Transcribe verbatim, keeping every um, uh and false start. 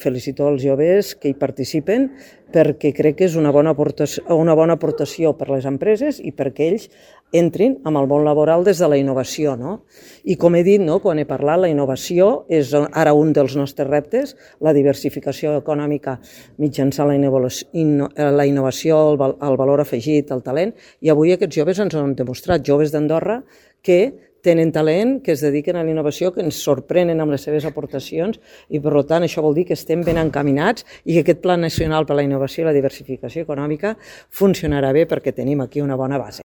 felicito els joves que hi participen perquè crec que és una bona aportació, una bona aportació per les empreses i perquè ells entrin en el món laboral des de la innovació. No? I com he dit, no, quan he parlat, la innovació és ara un dels nostres reptes, la diversificació econòmica mitjançant la innovació, la innovació el, el valor afegit, el talent, i avui aquests joves ens han demostrat, joves d'Andorra, que tenen talent, que es dediquen a la innovació, que ens sorprenen amb les seves aportacions i, per tant, això vol dir que estem ben encaminats i que aquest Pla Nacional per a la Innovació i la Diversificació Econòmica funcionarà bé perquè tenim aquí una bona base.